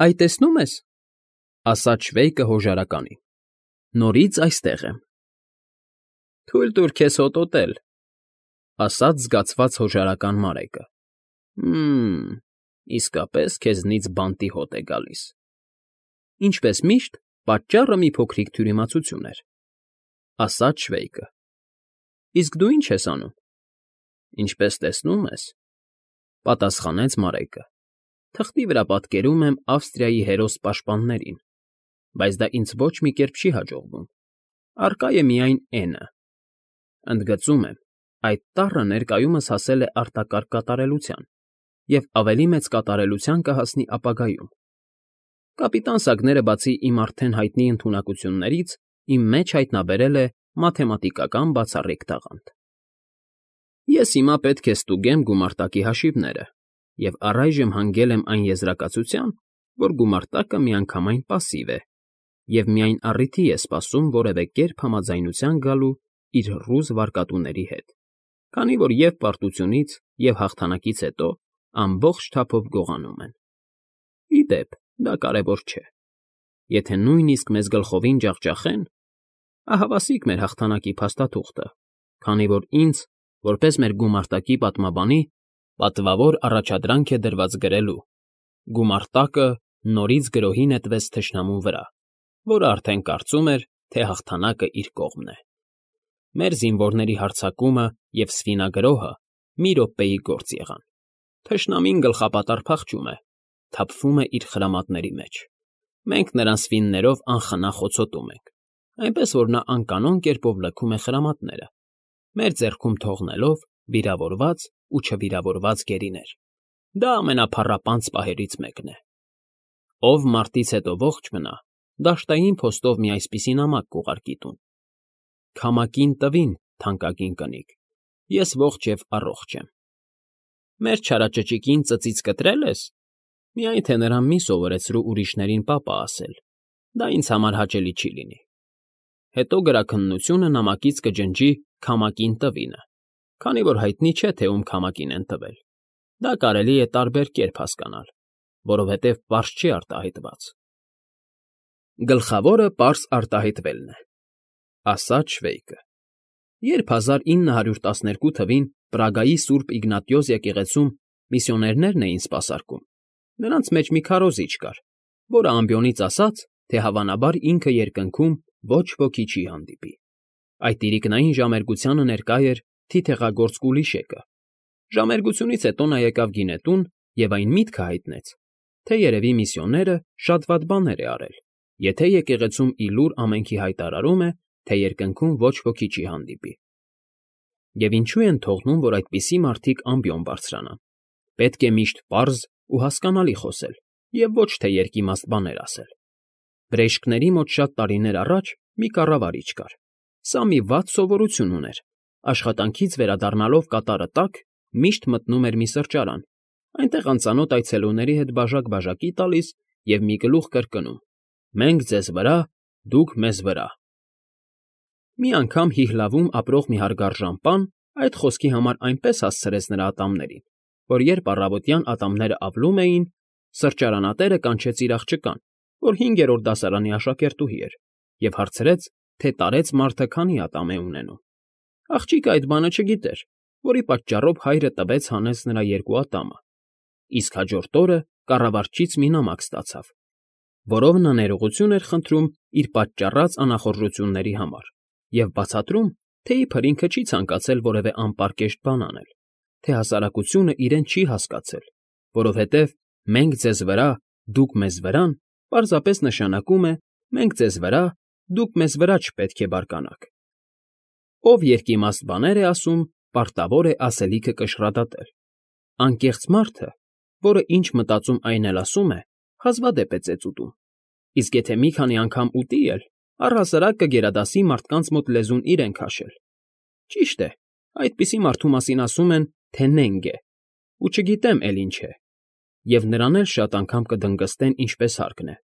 Այ տեսնում ես, ասաց Շվեյկը հոժարականին, նորից այստեղ եմ։ Թույլ տուր քեզ հոտոտել, ասաց զգացված հոժարական Մարեկը։ Իսկապես քեզնից բանտի հոտ է գալիս։ Ինչպես միշտ, պատճառը մի փոքրիկ թյուրիմացություն էր, ասաց Շվեյկը։ Իսկ դու ի՞նչ ես անում։ Ինչպես տեսնում ես, պատասխանեց Մարեկը, թղթի վրա պատկերում եմ Ավստրիայի հերոս պաշտպաններին, բայց դա ինձ ոչ մի կերպ չի հաջողվում, առկա է միայն N-ը։ Ընդգծում եմ, այդ տառը ներկայումս հասել է արտակարգ կատարելության և ավելի մեծ կատարելության կհասնի ապագայում։ Կապիտան Սագները բացի իմ արդեն հայտնի ընդունակություններից, իմ մեջ հայտնաբերել է մաթեմատիկական բացառիկ տաղանդ։ Ես հիմա պետք է ստուգեմ գումարտակի հաշիվները և առայժմ հանգել եմ այն եզրակացության, որ գումարտակը միանգամայն պասիվ է և միայն առիթի է սպասում որևէ կերպ համաձայնության գալու իր ռուզ վարկատուների հետ, քանի որ և պարտությունից, և հաղթանակից հետո ամբողջ թափով գողանում են։ Ի դեպ, դա կարևոր չէ։ Եթե նույնիսկ մեզ գլխովին ջախջախեն, ահավասիկ մեր հաղթանակի փաստաթուղթը, քանի որ ինձ, որպես մեր գումարտակի պատմաբանի, պատվավոր առաջադրանք է դրված գրելու. գումարտակը նորից գրոհի նետվեց թշնամու վրա, որը արդեն կարծում էր, թե հաղթանակը իր կողմն է։ Մեր զինվորների հարձակումը և սվինագրոհը մի րոպեի գործ եղան։ Թշնամին գլխապատառ փախչում է, թափվում է իր խրամատների մեջ։ Մենք նրան սվիններով անխնա խոցոտում ենք, այնպես որ նա անկանոն կերպով լքում է խրամատները, մեր ձեռքում թողնելով վիրավորված ու չվիրավորված գերիներ։ Դա ամենափառապանծ պահերից մեկն է։ Ով մարտից հետո ողջ մնա, դաշտային փոստով մի այսպիսի նամակ կուղարկի տուն. «Քամակին տվին, թանկագին կնիկ, ես ողջ և առողջ եմ»։ Մեր չարաճճիկին ծծից կտրել ես։ Միայն թե նրան մի սովորեցրու ուրիշներին պապա ասել, դա ինձ համար հաճելի չի լինի։ Հետո գրաքննությունը նամակից կջնջի «քամակին տվինը», քանի որ հայտնի չէ, թե ում քամակին են տվել։ Դա կարելի է տարբեր կերպ հասկանալ, որովհետև պարզ չի արտահայտված։ Գլխավորը պարզ արտահայտվելն է, ասաց Շվեյկը։ Երբ 1912 թվին Պրագայի Սուրբ Իգնատիոս եկեղեցում միսիոներներն էին սպասարկում, նրանց մեջ մի քարոզիչ կար, որը ամբիոնից ասաց, թե հավանաբար ինքը երկնքում ոչ ոքի չի հանդիպի։ Այդ իրիկնային ժամերգությանը ներկա էր թիթեղագործ Կուլիշեկը։ Ժամերգությունից հետո նա եկավ գինետուն և այն միտքը հայտնեց, թե երևի միսիոները շատ վատ բաներ է արել, եթե եկեղեցում ի լուր ամենքի հայտարարում է, թե երկնքում ոչ ոքի չի հանդիպի։ Եվ ինչու են թողնում, որ այդպիսի մարդիկ ամբիոն բարձրանան։ Պետք է միշտ պարզ ու հասկանալի խոսել և ոչ թե երկիմաստ բաներ ասել։ Բժիշկների մոտ շատ տարիներ առաջ մի կառավարիչ կար։ Սա մի վատ սովորություն ուներ. աշխատանքից վերադառնալով կատարը տաք, միշտ մտնում էր մի սրճարան, այնտեղ անծանոթ այցելուների հետ բաժակ֊բաժակի տալիս և մի գլուխ կրկնում. «Մենք ձեզ վրա, դուք մեզ վրա»։ Մի անգամ Հիհլավում ապրող մի հարգարժան պան այդ խոսքի համար այնպես հասցրեց նրա ատամներին, որ երբ առավոտյան ատամները ավլում էին, սրճարանատերը կանչեց իր աղջկան, որ 5-րդ դասարանի աշակերտուհի էր, և հարցրեց, թե տարեց մարդը քանի ատամ է ունենում։ Աղջիկը այդ բանը չգիտեր, որի պատճառով հայրը տվեց հանեց նրա 2 ատամը, իսկ հաջորդ օրը կառավարչից մի նամակ ստացավ, որով նա ներողություն էր խնդրում իր պատճառած անախորժությունների համար և բացատրում, թե իբր ինքը չի ցանկացել որևէ անպարկեշտ բան անել, թե հասարակությունը իրեն չի հասկացել, որովհետև «մենք ձեզ վրա, դուք մեզ վրան» պարզապես նշանակում է «մենք ձեզ վրա, դուք մեզ վրա չպետք է բարկանաք»։ Ով երկիմաստ բաներ է ասում, պարտավոր է ասելիքը կշռադատել։ Անկեղծ մարդը, որը ինչ մտածում այն էլ ասում է, հազվադեպ է ծեծ ուտում, իսկ եթե մի քանի անգամ ուտի էլ, առհասարակ կգերադասի մարդկանց մոտ լեզուն իրեն քաշել։ Ճիշտ է, այդպիսի մարդու մասին ասում են, թե նենգ է, ու չգիտեմ էլ ինչ է, և նրան էլ շատ անգամ կդնգստեն ինչպես հարկն է,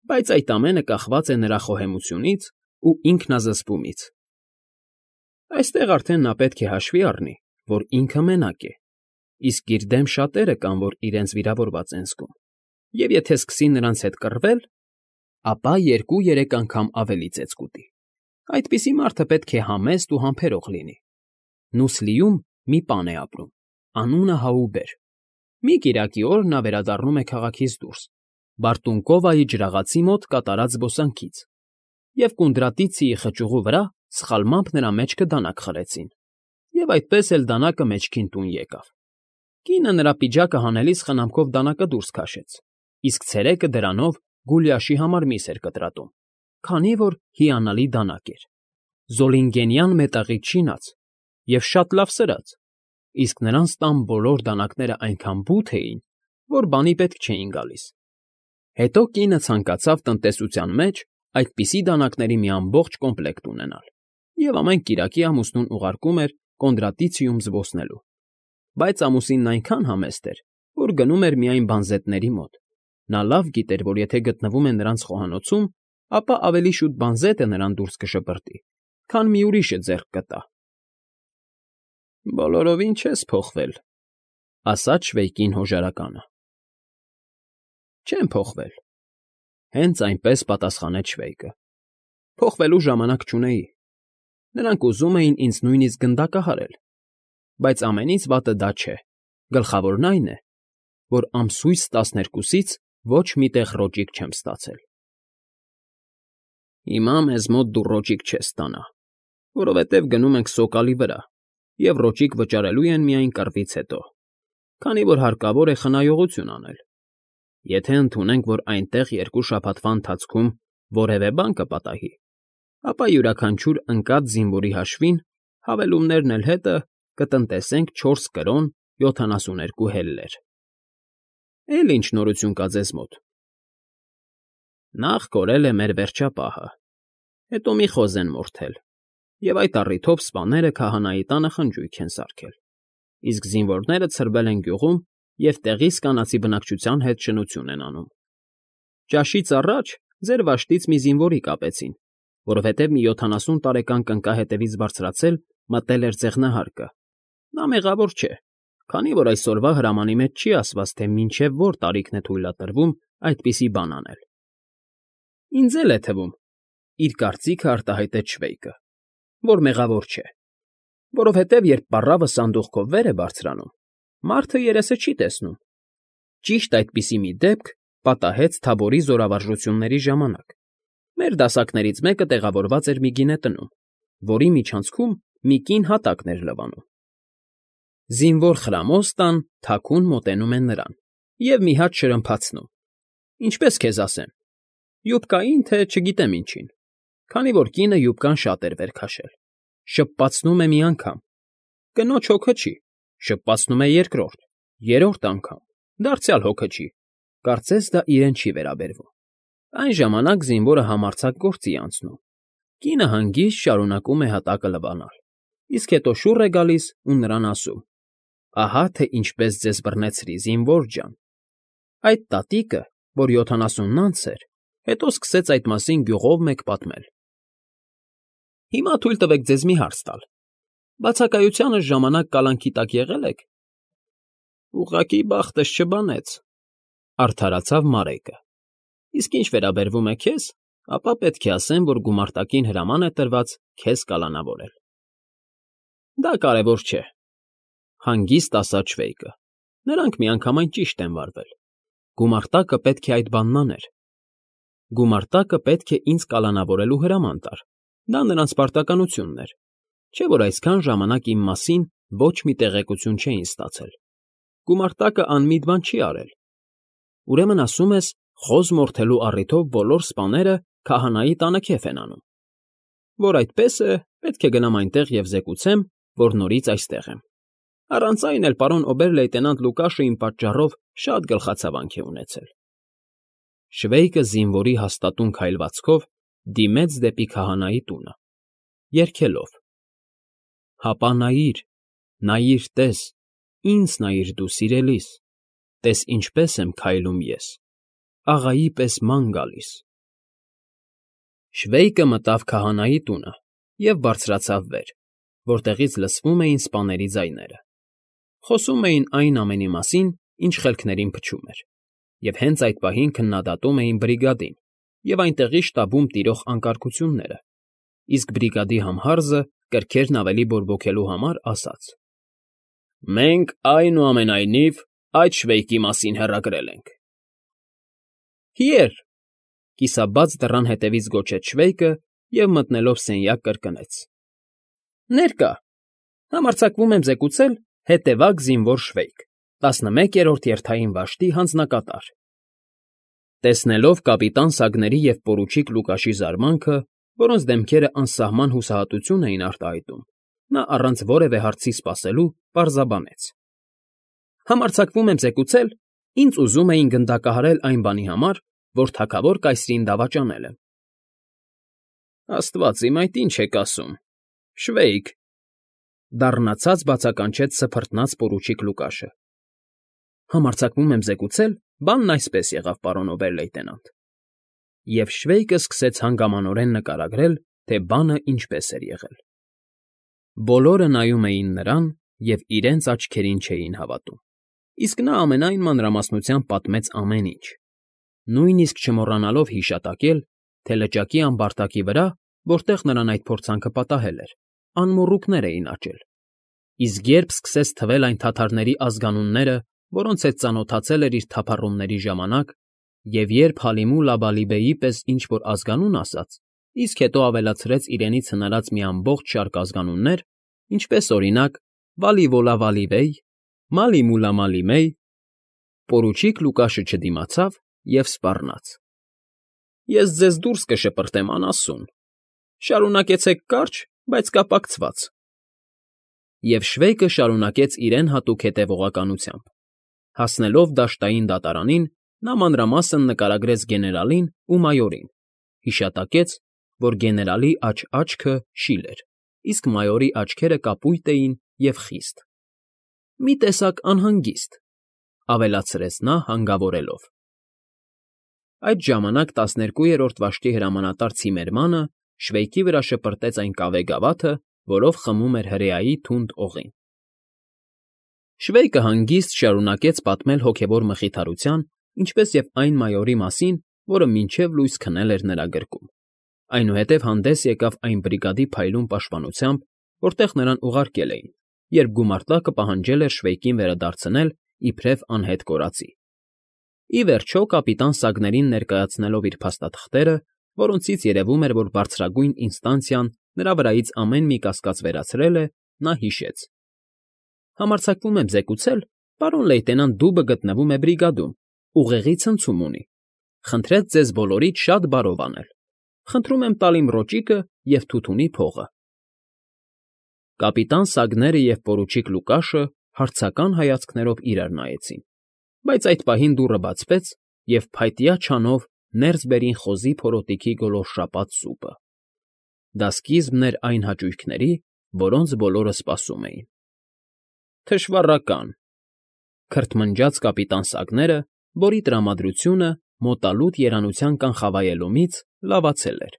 բայց այդ ամենը կախված է նրա խոհեմությունից ու ինքնազսպումից։ Այստեղ արդեն նա պետք է հաշվի առնի, որ ինքը մենակ է, իսկ իր դեմ շատերը կան, որ իրենց վիրավորված են զգում։ և եթե սկսի նրանց հետ կռվել, ապա 2-3 անգամ ավելի ծեծ կուտի։ Այդպիսի մարդը պետք է համեստ ու համբերող լինի։ Նուսլիում մի պան է ապրում, անունը Հաուբեր։ Մի կիրակի օր նա վերադառնում է քաղաքից դուրս, Բարտունկովայի ջրաղացի մոտ կատարած զբոսանքից, և Կունդրատիցիի խճուղու վրա սխալմամբ նրա մեջքը դանակ խրեցին, և այդպես էլ դանակը մեջքին տուն եկավ։ Կինը նրա պիջակը հանելիս խնամքով դանակը դուրս քաշեց, իսկ ցերեկը դրանով Գուլիաշի համար միս էր կտրատում, քանի որ հիանալի դանակ էր, զոլինգենյան մետաղից շինած և շատ լավ սրած, իսկ նրանց տան բոլոր դանակները այնքան բութ էին, որ բանի պետք չէին գալիս։ Հետո կինը ցանկացավ տնտեսության մեջ այդպիսի դանակների մի ամբողջ կոմպլեկտ ունենալ և ամեն կիրակի ամուսնուն ուղարկում էր Կոնդրատիցիում զբոսնելու։ Բայց ամուսինն այնքան համեստ էր, որ գնում էր միայն բանզետների մոտ։ Նա լավ գիտեր, որ եթե գտնվում է նրանց խոհանոցում, ապա ավելի շուտ բանզետը նրան դուրս կշպրտի, քան մի ուրիշը ձեռք կտա։ «Բոլորովին չես փոխվել,֊ ասաց Շվեյկին հոժարականը։ «Չեմ փոխվել,֊ հենց այնպես պատասխանեց Շվեյկը։ Փոխվելու ժամանակ չունեի։ Նրանք ուզում էին ինձ նույնիսկ գնդակահարել, բայց ամենից վատը դա չէ, գլխավորն այն է, որ ամսույս 12-ից ոչ մի տեղ ռոճիկ չեմ ստացել»։ «Հիմա մեզ մոտ դու ռոճիկ չես ստանա, որովհետև գնում ենք սոկալի վրա, և ռոճիկ վճարելու են միայն կռվից հետո, քանի որ հարկավոր է խնայողություն անել։ Եթե ընդունենք, որ այնտեղ 2 շաբաթվա ընթացքում որևէ բան կպատահի, ապա յուրաքանչյուր ընկած զինվորի հաշվին հավելումներն էլ հետը կտնտեսենք 4 կրոն 72 հելլեր։ Էլ ինչ նորություն կա ձեզ մոտ։ Նախ կորել է մեր վերջապահը, հետո մի խոզ են մորթել, և այդ առիթով սպաները քահանայի տանը խնջույք են սարքել, իսկ զինվորները ցրվել են գյուղում և տեղիս կանացի բնակչության հետ շնություն են անում։ Ճաշից առաջ ձեր վաշտից մի զինվորի կապեցին, որովհետև մի 70 տարեկան կնկա հետևից բարձրացել մտել էր ձեղնահարկը։ Նա մեղավոր չէ, քանի որ այսօրվա հրամանի մեջ չի ասված, թե մինչև որ տարիքն է թույլատրվում այդպիսի բան անել։ Ինձ էլ է թվում, իր կարծիքը արտահայտեց Շվեյկը, որ մեղավոր չէ, որովհետև երբ պառավը սանդուղքով վեր է բարձրանում, մարդը երեսը չի տեսնում։ Ճիշտ այդպիսի մի դեպք պատահեց Թաբորի զորավարժությունների ժամանակ։ Մեր դասակներից մեկը տեղավորված էր մի գինետնում, որի միջանցքում մի կին հատակն էր լվանում։ Զինվոր խրամոզ տան թաքուն մոտենում են նրան և մի հատ շրմփացնում, ինչպես քեզ ասեմ, յուբկային, թե չգիտեմ ինչին, քանի որ կինը յուբկան շատ էր վեր քաշել, շպպացնում է մի անգամ, կնոջ հոգը չի, շպպացնում է երկրորդ, երրորդ անգամ, դարձյալ հոգը չի, կարծես դա իրեն չի վերաբերվում։ Այն ժամանակ զինվորը համարձակ գործի է անցնում, կինը հանգիստ շարունակում է հատակը լվանալ, իսկ հետո շուռ է գալիս ու նրան ասում. «Ահա թե ինչպես ձեզ բռնեցրի, զինվոր ջան»։ Այդ տատիկը, որ 70-ն անց էր, հետո սկսեց այդ մասին գյուղով մեկ պատմել։ Հիմա թույլ տվեք ձեզ մի հարց տալ. բացակայությանս ժամանակ կալանքի տակ եղե՞լ եք։ Ուղղակի բախտս չբանեց,֊ արդարացավ Մարեկը։ Իսկ ինչ վերաբերվում է քեզ, ապա պետք է ասեմ, որ գումարտակին հրաման է տրված քեզ կալանավորել։ Դա կարևոր չէ,֊ հանգիստ ասաց Շվեյկը։ Նրանք միանգամայն ճիշտ են վարվել։ Գումարտակը պետք է այդ բանն աներ։ Գումարտակը պետք է ինձ կալանավորելու հրաման տար։ Դա նրանց պարտականությունն էր, չէ՞ որ այսքան ժամանակ իմ մասին ոչ մի տեղեկություն չէին ստացել։ Գումարտակը անմիտ բան չի արել։ Ուրեմն ասում ես, խոզ մորթելու առիթով բոլոր սպաները քահանայի տանը քեֆ են անում։ Որ այդպես է, պետք է գնամ այնտեղ և զեկուցեմ, որ նորից այստեղ եմ։ Առանց այն էլ պարոն օբեր֊լեյտենանտ Լուկաշը իմ պատճառով շատ գլխացավանք է ունեցել։ Շվեյկը զինվորի հաստատուն քայլվածքով դիմեց դեպի քահանայի տունը, երգելով. Հապա նայիր, նայիր, տես, ինձ նայիր դու սիրելիս, տես ինչպես եմ քայլում ես, աղայի պես ման գալիս։ Շվեյկը մտավ քահանայի տունը և բարձրացավ վեր, որտեղից լսվում էին սպաների ձայները։ Խոսում էին այն ամենի մասին, ինչ խելքներին փչում էր։ և հենց այդ պահին քննադատում էին բրիգադին և այնտեղի շտաբում տիրող անկարգությունները, իսկ բրիգադի համհարզը կրքերն ավելի բորբոքելու համար ասաց. «Մենք, այնուամենայնիվ, այդ շվեյկի մասին հեռագրել ենք»։ «Հիեր», կիսաբաց դռան հետևից գոչեց Շվեյկը և մտնելով սենյակ կրկնեց. «Ներկա, համարձակվում եմ զեկուցել հետևակ զինվոր Շվեյկ, 11-րդ երթային վաշտի հանձնակատար»։ Տեսնելով կապիտան Սագների և պորուչիկ Լուկաշի զարմանքը, որոնց դեմքերը անսահման հուսահատություն էին արտահայտում, նա առանց որևէ հարցի սպասելու պարզաբանեց. «Համարձակվում եմ զեկուցել, ինձ ուզում էին գնդակահարել այն բանի համար, որ թագավոր կայսրին դավաճանել եմ»։ «Աստված իմ, այդ ի՞նչ եք ասում, Շվեյկ», դառնացած բացականչեց սփռտնած պորուչիկ Լուկաշը։ «Համարձակվում եմ զեկուցել, բանն այսպես եղավ, պարոն օբեր֊լեյտենանտ»։ Եվ Շվեյկը սկսեց հանգամանորեն նկարագրել, թե բանը ինչպես էր եղել։ Բոլորը նայում էին նրան և իրենց աչքերին չէին հավատում, իսկ նա ամենայն մանրամասնությամբ պատմեց ամեն ինչ, նույնիսկ չմոռանալով հիշատակել, թե լճակի ամբարտակի վրա, որտեղ նրան այդ փորձանքը պատահել էր, անմոռուկներ էին աճել, իսկ երբ սկսեց թվել այն թաթարների ազգանունները, որոնց հետ ծանոթացել էր իր թափառումների ժամանակ, և երբ Հալիմու Լաբալիբեի պես ինչ֊որ ազգանուն ասաց, իսկ հետո ավելացրեց իրենից հնարած մի ամբողջ շարք ազգանուններ, ինչպես, օրինակ, Վալիվոլա֊Վալիվեյ, Մալիմուլա֊Մալիմեյ, պորուչիկ Լուկաշը չդիմացավ և սպառնաց. «Ես ձեզ դուրս կշպրտեմ անասուն, շարունակեցեք կարճ, բայց կապակցված»։ Եվ Շվեյկը շարունակեց իրեն հատուկ հետևողականությամբ. հասնելով դաշտային դատարանին, նա մանրամասն նկարագրեց գեներալին ու մայորին, հիշատակեց, որ գեներալի աչքը շիլ էր, իսկ մայորի աչքերը կապույտ էին և խիստ։ «Մի տեսակ անհանգիստ», ավելացրեց նա հանգավորելով։ Այդ ժամանակ 12-րդ վաշտի հրամանատար Ցիմերմանը Շվեյկի վրա շպրտեց այն կավե գավաթը, որով խմում էր հրեայի թունդ օղին։ Շվեյկը հանգիստ շարունակեց պատմել հոգևոր մխիթարության, ինչպես և այն մայորի մասին, որը մինչև լույս քնել էր նրա գրկում, այնուհետև հանդես եկավ այն բրիգադի փայլուն պաշտպանությամբ, որտեղ նրան ուղարկել էին, երբ գումարտակը պահանջել էր Շվեյկին վերադարձնել իբրև անհետ կորածի։ Ի վերջո, կապիտան Սագներին ներկայացնելով իր փաստաթղթերը, որոնցից երևում էր, որ բարձրագույն ինստանցիան նրա վրայից ամեն մի կասկած վերացրել է, նա հիշեց. «Համարձակվում եմ զեկուցել, պարոն լեյտենանտ Դուբը գտնվում է բրիգադում, ուղեղի ցնցում ունի։ Խնդրեց ձեզ բոլորիդ շատ բարով անել։ Խնդրում եմ տալ իմ ռոճիկը և թութունի փողը»։ Կապիտան Սագները և պորուչիկ Լուկաշը հարցական հայացքներով իրար նայեցին, բայց այդ պահին դուռը բացվեց, և փայտյա չանով ներս բերին խոզի փորոտիքի գոլորշապատ սուպը։ Դա սկիզբն էր այն հաճույքների, որոնց բոլորը սպասում էին։ «Թշվառական», քրթմնջաց կապիտան Սագները, որի տրամադրությունը մոտալուտ երանության կանխավայելումից լավացել էր։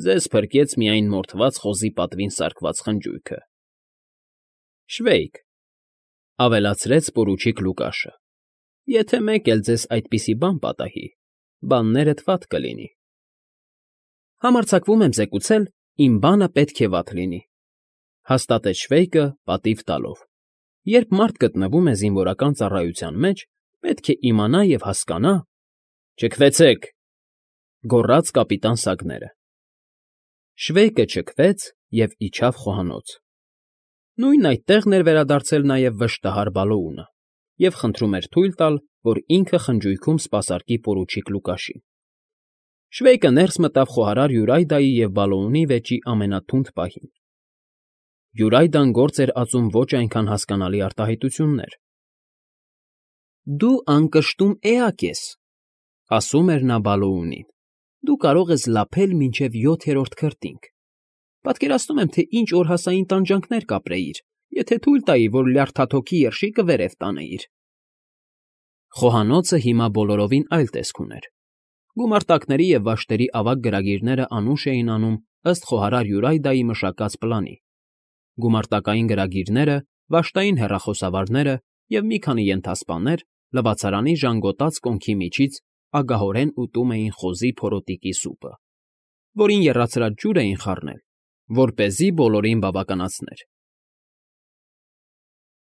«Ձեզ փրկեց միայն մորթված խոզի պատվին սարքված խնջույքը»։ «Շվեյկ», ավելացրեց պորուչիկ Լուկաշը, «եթե մեկ էլ ձեզ այդպիսի բան պատահի, բաններդ վատ կլինի»։ «Համարձակվում եմ զեկուցել, իմ բանը պետք է վատ լինի», հաստատեց Շվեյկը պատիվ տալով։ «Երբ մարդ գտնվում է զինվորական ծառայության մեջ, պետք է իմանա և հասկանա»։ «Չքվեցեք», գոռաց կապիտան Սագները։ Շվեյկը չքվեց և իջավ խոհանոց։ Նույն այդտեղն էր վերադարձել նաև վշտահար Բալոունը և խնդրում էր թույլ տալ, որ ինքը խնջույքում սպասարկի պորուչիկ Լուկաշին։ Շվեյկը ներս մտավ խոհարար Յուրայդայի և Բալոունի վեճի ամենաթունդ պահին։ Յուրայդան գործ էր ածում ոչ այնքան հասկանալի արտահայտություններ։ «Դու անկշտում էակ ես», ասում էր նա Բալոունին։ «Դու կարող ես լափել մինչև 7-րդ քրտինք։ Պատկերացնում եմ, թե ինչ օրհասային տանջանքներ կապրեիր, եթե թույլ տայի, որ լյարդաթոքի երշիկը վերև տանեիր»։ Խոհանոցը հիմա բոլորովին այլ տեսք ուներ։ Գումարտակների և վաշտերի ավագ գրագիրները անուշ էին անում ըստ խոհարար Յուրայդայի մշակած պլանի։ Գումարտակային գրագիրները, վաշտային հեռախոսավարները և մի քանի ենթասպաներ լվացարանի ժանգոտած կոնքի միջից ագահորեն ուտում էին խոզի փորոտիկի սուպը, որին եռացրած ջուր էին խառնել, որպեսզի բոլորին բավականացներ։